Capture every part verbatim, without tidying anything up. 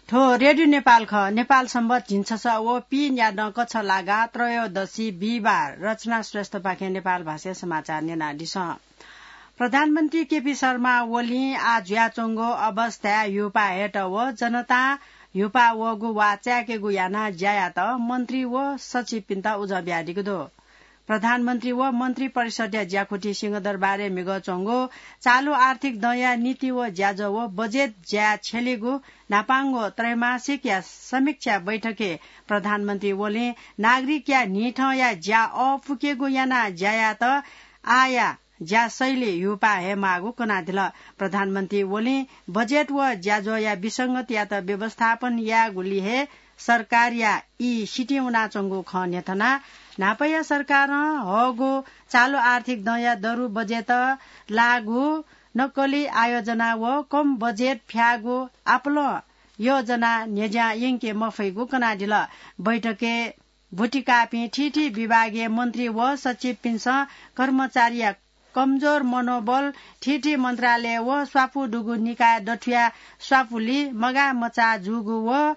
थ्व रेडियो नेपाल खः। नेपाल संवत झिंछसः व पीन्यादँ कछलागा त्रयोदशी बिहिबार। रचना श्रेष्ठपाखें नेपाल भाषाय् समाचार न्यनादिसँ। प्रधानमन्त्री केपी शर्मा ओलीं आः जुयाच्वंगु अवस्थाय् ह्यूपाः हयेत व जनतां ह्यूपाः वःगु वा चाय्केगु यानाः ज्या यायेत मन्त्री व सचिवपिन्त उजं बियादीगु दु। प्रधानमन्त्री व मन्त्री परिषदया ज्याकुथि सिंहदरबारय् म्हिगः च्वंगु चालु आर्थिक दँया नीति व ज्याझ्वः व बजेट ज्याय् छ्यलीगु न्हापांगु त्रैमासिकया समीक्षा बैठकय् प्रधानमन्त्री ओलीं नागरिकया न्हिथंया ज्या अःपुकेगु यानाः ज्या यायेत आःया ज्या शैली ह्यूपाः हयेमाःगु कनादिल। प्रधानमन्त्री ओलीं बजेट व ज्याझ्वःया विसंगतियात व्यवस्थापन यायेगुलिइ हे सरकारया ई सितिं वनाच्वंगु खँ न्ह्यथनाः न्हापाया सरकारं हःगु चालु आर्थिक दँया दरु बजेट, लागू नक्कली आयोजना व कम बजेट फ्याःगु आपालं योजना न्ह्यज्यां यंके मफइगु कनादिल। बैठकय् ब्वतिकाःपिं थीथी विभागीय मन्त्री व सचिवपिन्सं कर्मचारीया कमजोर मनोबल, थीथी मन्त्रालय व स्वापू दुगु निकाय दथुया स्वापूलि मगाः मचाः जूगु व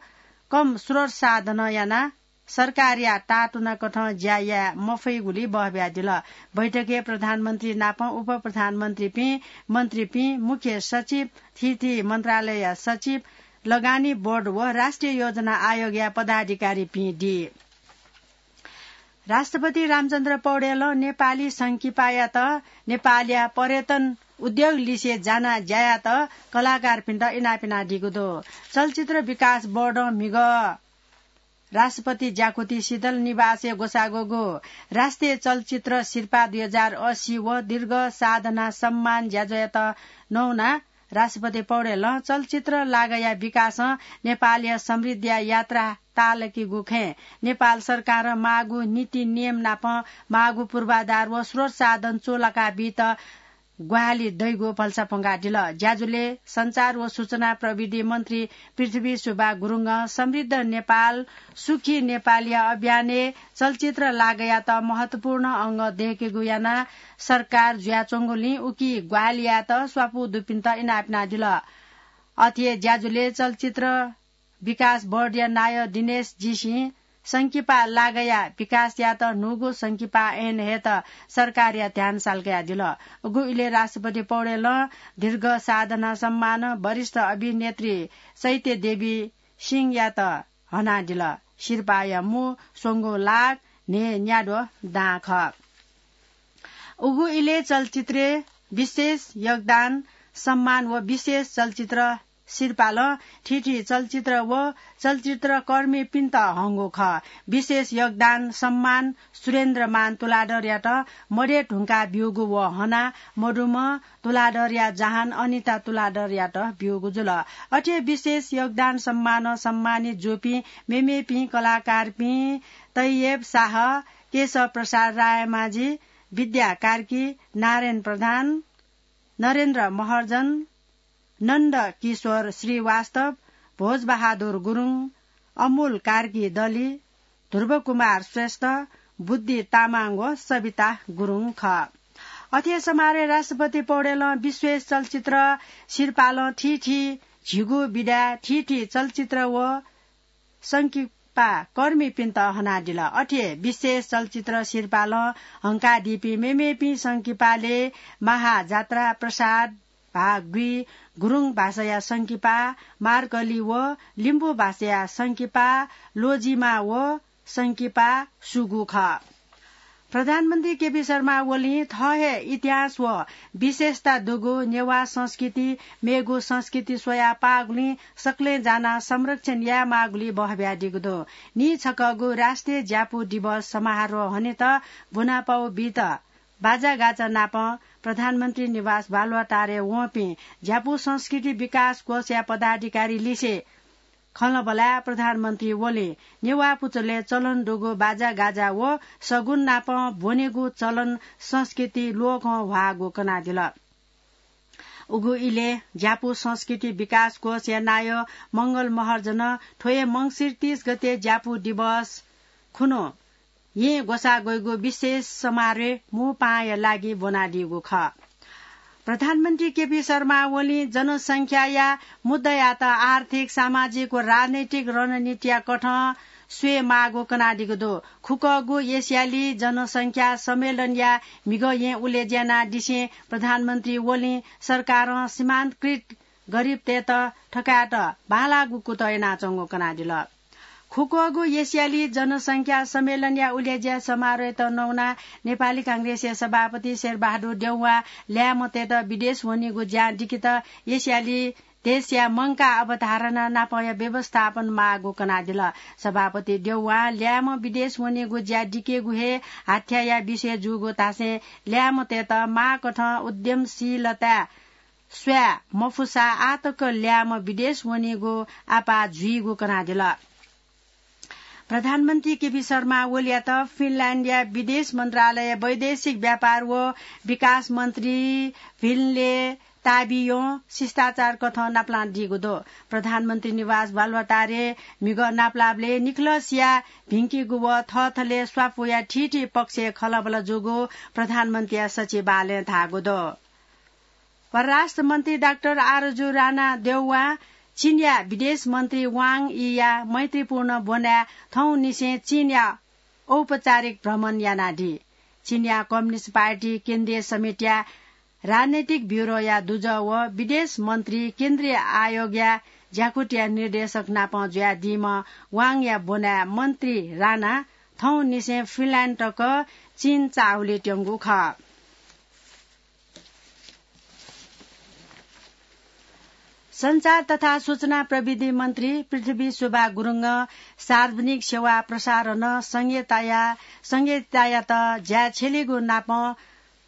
कम स्रोत साधनं यानाः सरकारया ताःतुनाकथं ज्या याये मफइगुलि बहबियादिल। बैठकय् प्रधानमन्त्री नाप उपप्रधानमन्त्रीपिं, मन्त्रीपिं, मुख्य सचिव, थीथी मन्त्रालयया सचिव, लगानी बोर्ड व राष्ट्रिय योजना आयोगया पदाधिकारीपिं दी। राष्ट्रपति रामचन्द्र पौडेलं नेपाली संकिपायात नेपालया पर्यटन उद्योग लिसे जाना ज्या यायेत कलाकारपिन्त इनाप यानादीगु दु। चलचित्र विकास बोर्डं म्हिगः राष्ट्रपति ज्याकुथि शीतल निवासय् ग्वसाःगु राष्ट्रिय चलचित्र सिरपाः दुई हजार अस्सी व दीर्घ साधना सम्मान ज्याझ्वःयात नवानाः राष्ट्रपति पौडेलं चलचित्र लागःया विकासं नेपालया समृद्धिया यात्रा ताःलाकीगु खँय् नेपाल सरकारं माःगु नीति नियम नाप माःगु पूर्वाधार व स्रोत साधन चूलाका बीत ग्वाहालि दइगु भलसा प्वंकादिल। ज्याझ्वलय् सञ्चार व सूचना प्रविधि मन्त्री पृथ्वी सुब्बा गुरुङं समृद्ध नेपाल, सुखी नेपालया अभियानय् चलचित्र लागःयात महत्वपूर्ण अंग दय्केगु यानाः सरकार जुयाच्वंगुलिं उकी ग्वाहालि यायेत स्वापू दुपिन्त इनाप यानादिल। अथे हे ज्याझ्वलय् चलचित्र विकास बोर्डया नायः दिनेश जीसिं संकिपा लागःया विकास यायेत न्हूगु संकिपा ऐन हयेत सरकारया ध्यान सालकयादिल। उगु इलय् राष्ट्रपति पौडेलं दीर्घ साधना सम्मान वरिष्ठ अभिनेत्री चैत्य देवी सिंहयात हनादिल। सिरपाःया मू स्वंगू लाख न्हय्न्याद्वः दां खः। उगु इलय् चलचित्रय् विशेष योगदान सम्मान व विशेष चलचित्र सिरपालं थीथी चलचित्र व चलचित्रकर्मीपिन्त हंगु खः। विशेष योगदान सम्मान सुरेन्द्रमान तुलाधरयात मदय् धुंकाः ब्यूगु व हना मदुम्ह तुलाधरया जहान अनिता तुलाधरयात ब्यूगु जुल। अथे विशेष योगदान सम्मानं सम्मानित जूपिं मेमेपिं कलाकारपिं तैयब शाह, केशव प्रसाद रायमाझी, विद्या कार्की, नारायण प्रधान, नरेन्द्र महर्जन, नन्द किशोर श्रीवास्तव, भोजबहादुर गुरुङ, अमुल कार्की दली, ध्रुवकुमार श्रेष्ठ, बुद्धि तामाङ व सबिता गुरुङ खः। अथे समारोहय् राष्ट्रपति पौडेलं विशेष चलचित्र सिरपालं थीथी झिगू विधाय् थीथी चलचित्र व संकिपा कर्मीपिन्त हनादिल। अथे विशेष चलचित्र सिरपालं हंकादीपिं मेमेपिं संकिपालय् महाजात्रा, प्रसाद, भागुइ, गुरुङ भाषाया संकिपा, मार्कली व लिम्बू भाषाया संकिपा, लोजिमा व संकिपा सुगु खः। प्रधानमन्त्री केपी शर्मा ओलीं थः हे इतिहास व विशेषता दुगु नेवाः संस्कृति मेगु संस्कृति स्वयाः पाःगुलिं सकलें जानाः संरक्षण यायेमाःगुलिइ बहबियादीगु दु। नीछकःगु राष्ट्रिय ज्यापु दिवस समारोह हनेत ब्वनापाउ बीत बाजागाजा नाप प्रधानमन्त्री निवास बालुवाटारय् वंपिं ज्यापु संस्कृति विकास कोषया पदाधिकारी लिसे खँल्हाबल्हाय् प्रधानमन्त्री ओलीं नेवाः पुचलय् चलन दुगु बाजागाजा व सगुन नाप ब्वनेगु चलन संस्कृति लोकं ह्वाःगु कनादिल। उगु इलय् ज्यापु संस्कृति विकास कोषया नायः मंगल महर्जनं थ्व हे मंसिर तीस गते ज्यापु दिवस खुन्हु येँ ग्वसाः ग्वइगु विशेष समारोह मू पाहांया लागि ब्वनादीगु खः। प्रधानमन्त्री केपी शर्मा ओलीं जनसंख्याया मुद्दायात आर्थिक, सामाजिक व राजनैतिक रणनीतिया कथं स्वये माःगु कनादीगु दु। खुक्वःगु एसियाली जनसंख्या सम्मेलनया म्हिगः येँ उलेज्या यानादिसें प्रधानमन्त्री ओलीं सरकारं सीमान्तकृत गरिबतय्त थकायेत बांलाःगु कुतः यानाच्वंगु कनादिल। खुक्वःगु एसियाली जनसंख्या सम्मेलनया उलेज्या समारोहय्त नवानाः नेपाली कांग्रेसया सभापति शेरबहादुर देउवां ल्याय्म्हतय्त विदेश वनीगु ज्या दिकेत एसियाली देशया मंकाः अवधारणा नापंया व्यवस्थापन माःगु कनादिल। सभापति देउवां ल्याय्म्ह विदेश वनीगु ज्या दिकेगु हे हाथ्याया विषय जूगु धासें ल्याय्म्हतय्त माःकथं उद्यमशीलताय् स्वये मफुसा आःतक ल्याय्म्ह विदेश वनीगु आपाः जुइगु कनादिल। प्रधानमन्त्री केपी शर्मा ओलीयात फिनल्याण्डया विदेश मन्त्रालय, वैदेशिक व्यापार व विकास मन्त्री भिन्ले ताबियों शिष्टाचार कथं नापलानादीगु दु। प्रधानमन्त्री निवास बालुवाटारय् म्हिगः नापलाःबलय् निखलसिया भिंकेगु व थःथलय् स्वापू वयाः थीथी पक्षय् खँल्हाबल्हा जूगु प्रधानमन्त्रीया सचिवालयं धाःगु दु। परराष्ट्र मन्त्री डाक्टर आरजु राणा देउवां चीनया विदेश मन्त्री वाङ यीया मैत्रीपूर्ण ब्वनाय् थौंनिसें चीनया औपचारिक भ्रमण यानादी। चीनया कम्युनिस्ट पार्टी केन्द्रीय समितिया राजनैतिक ब्युरोया दुजः व विदेश मन्त्री केन्द्रीय आयोगया ज्याकुथिया निर्देशक नाप जुयादीम्ह वाङया ब्वनाय् मन्त्री राणा थौंनिसें फिनल्याण्ड तक चीन चाःहुलय् त्यंगु खः। सञ्चार तथा सूचना प्रविधि मन्त्री पृथ्वी सुब्बा गुरुङं सार्वजनिक सेवा प्रसारणं संघीयताया, संघीयतायात ज्या छ्यलीगु नाप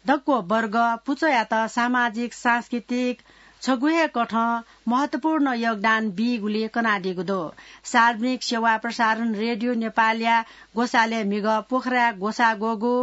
दक्व वर्ग पुचःयात सामाजिक, सांस्कृतिक छगू हे कथं महत्वपूर्ण योगदान बीगुली कनादीगु दु। सार्वजनिक सेवा प्रसारण रेडियो नेपालया ग्वसालय् म्हिगः पोखराय् ग्वसाः ग्वःगु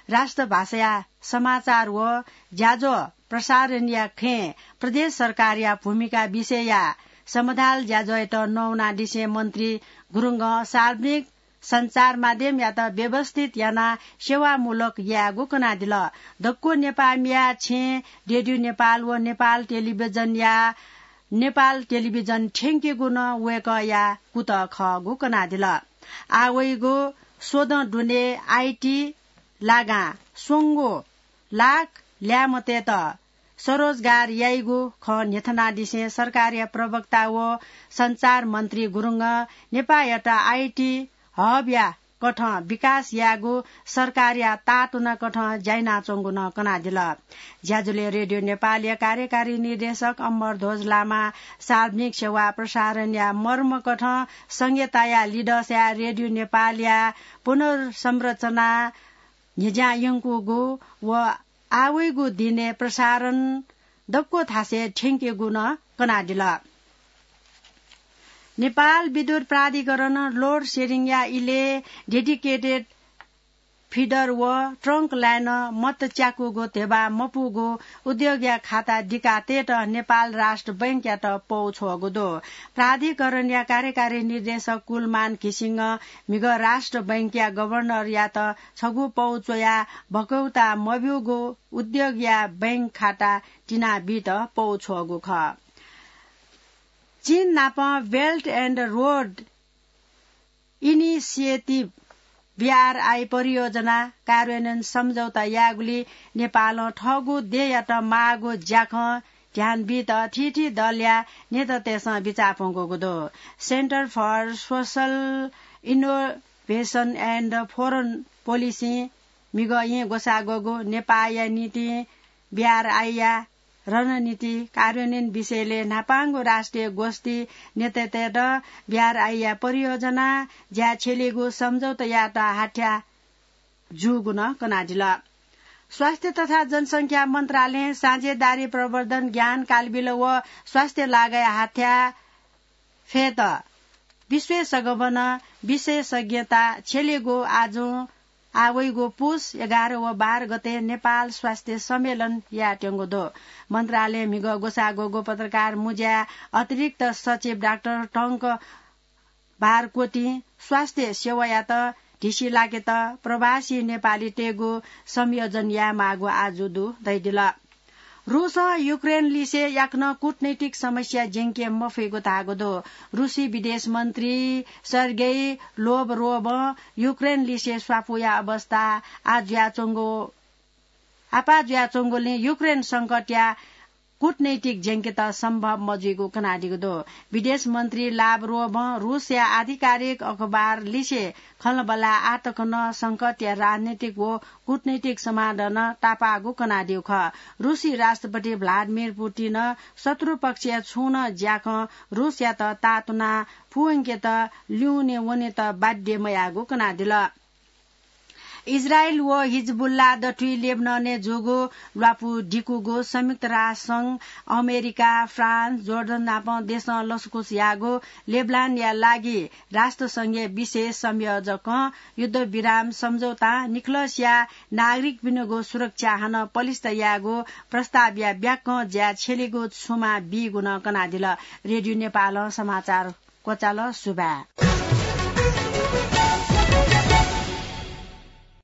राष्ट्रभाषाया समाचार व ज्याझ्वः प्रसारणया खँय् प्रदेश सरकारया भूमिका विषयया समाधाल ज्याझ्वःयात नवानादिसें मन्त्री गुरुङं सार्वजनिक सञ्चार माध्यमयात व्यवस्थित यानाः सेवामूलक यायेगु कनादिल। दक्व नेपाःमिया छेँय् रेडियो नेपाल व नेपाल टेलिभिजनया, नेपाल टेलिभिजन थ्यंकेगु नं वय्कःया कुतः खःगु कनादिल। आः वइगु स्वदँ दुने आइटी लागां स्वंगू लाख ल्याय्म्हतय्त स्वरोजगार याइगु खँ न्ह्यथनादिसें सरकारया प्रवक्ता व सञ्चार मन्त्री गुरुङं नेपाःयात आइटी हबया कथं विकास यायेगु सरकारया ताःतुना कथं ज्या यानाच्वंगु नं कनादिल। ज्याझ्वलय् रेडियो नेपालया कार्यकारी निर्देशक अमरध्वज लामां सार्वजनिक सेवा प्रसारणया मर्म कथं संघीयताया लिधंसाय् रेडियो नेपालया पुनर्संरचना न्ह्यज्यां यंकूगु व आः वइगु दिनय् प्रसारण दक्व थासय् थ्यंकेगु नं कनादिल। नेपाल विद्युत प्राधिकरणं लोड सेडिङया इलय् डेडिकेटेड फिडर व ट्रङ्क लाइनं मत च्याकूगु धेबा मपूगु उद्योगया खाता दिकातयेत नेपाल राष्ट्र बैंकयात पौ छ्वःगु दु। प्राधिकरणया कार्यकारी निर्देशक कुलमान घिसिङं म्हिगः राष्ट्र बैंकया गभर्नरयात छगू पौ च्वयाः भकौता मब्यूगु उद्योगया बैंक खाता तिनाबीत पौ छ्वःगु खः। चीन नाप belt end road initiative, BRI, परियोजना कार्यान्वयन सम्झौता यायेगुली नेपालं थःगु देय्‌यात माःगु ज्याखँ ध्यान बीत थीथी दलया नेतातय्‌सं बिचाः प्वंकूगु दु। Center for Social Innovation and Foreign Policy म्हिगः येँ ग्वसाः ग्वःगु नेपाःया निंतिं बीआरआईया रणनीति कार्यान्वयन विषयलय् न्हापांगु राष्ट्रिय गोष्ठी नेतातय्‌त बीआरआईया परियोजना ज्या छ्यलीगु सम्झौता यायेत हाथ्या जूगु नं कनादिल। स्वास्थ्य तथा जनसंख्या मन्त्रालयं साझेदारी प्रवर्धन ज्ञान कालबिल व स्वास्थ्य लागाय् हाथ्या फयेत विश्वय् सगबनं विशेषज्ञता छ्यलीगु आजुं आः वइगु पुस एघार व बाह्र गते नेपाल स्वास्थ्य सम्मेलन यायेत्यंगु दु। मन्त्रालयं म्हिगः ग्वसाः ग्वःगु पत्रकार मुँज्याय् अतिरिक्त सचिव डाक्टर टंक बारकोटीं स्वास्थ्य सेवायात ढिसि लाकेत प्रवासी नेपालीतय्‌गु संयोजन यायेमाःगु आजु दु धयादिल। रूसं युक्रेन लिसे याकनं कूटनैतिक समस्या ज्यंके मफइगु धाःगु दु। रूसी विदेश मन्त्री सर्गेई लोभरोभं युक्रेन लिसे स्वापूया अवस्था आः जुयाच्वंगु, आपाः जुयाच्वंगुलिं युक्रेन संकटया कूटनैतिक ज्यंकेत सम्भव मजुइगु कनादीगु दु। विदेश मन्त्री लाभरोभं रूसया आधिकारिक अखबार लिसे खँल्हाबल्हा आः तक नं संकटया राजनैतिक व कूटनैतिक समाधान तापाःगु कनादीगु खः। रूसी राष्ट्रपति भ्लादिमिर पुतिनं शत्रु पक्षया छुं नं ज्याखं रूसयात तातुना पूवंकेत ल्यूने वनेत बाध्य मयाःगु कनादिल। इजरायल व हिजबुल्ला दथुइ लेबननय् जूगु ल्वापु दिकूगु संयुक्त राष्ट्र संघ, अमेरिका, फ्रान्स, जोर्डन नापं देशं लसकुस याःगु लेबनानया लागि राष्ट्र संघया विशेष संयोजकं युद्धविराम सम्झौतां निखलसया नागरिकपिनिगु सुरक्षा हानं पलिस्त यायेगु प्रस्तावया ब्याक्कं ज्या छ्यलेगु छुमा बीगु नं कनादिल। रेडियो नेपालं समाचार क्वचाल। सुभाय्।